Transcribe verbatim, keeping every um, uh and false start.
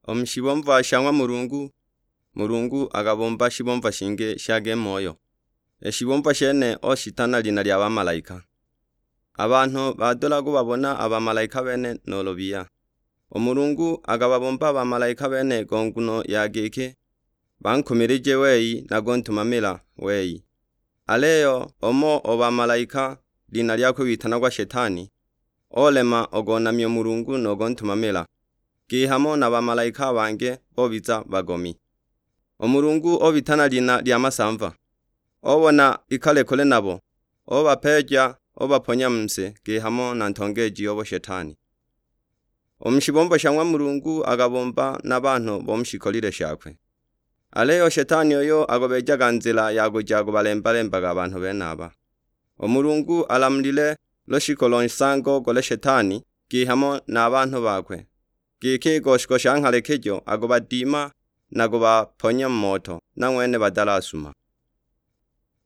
U mu shibomva sha ng'wa Mulungu, Mulungu akabomba shibomva shingi sha gei moyo. I shibomva shene oshita na lina lya bamalaika. A banhu badula kubabona a bamalaika bene nuulu biya. U Mulungu akababomba a bamalaika bene go nguno ya giki bankumilije wei na kuntumamila wei. Aliyo umo o bamalaika, lina lyakwe witanagwa Shetani, olema ogonamya u Mulungu no gontumamila, kihamo na bamalaika a bangi bobiza bagomi. U Mulungu obita na lina lya masamva, obona ikale kule nabo, obapeeja, obaponya mu si kihamo na ntongeeji obo Shetani. U mu shibombo sha ng'wa Mulungu akabomba na banhu bo mu shikolile shakwe. Aliyo Shetani uyo agobeejaga nzila ya kuja kubalemba-lembaga a banhu benaba. U Mulungu alamulile lushiko lo nsango gule Shetani kihamo na a banhu bakwe, giki i goshiko sha nghalekijo akubadima na kubaponya mu moto, na ng'wene badalasuma.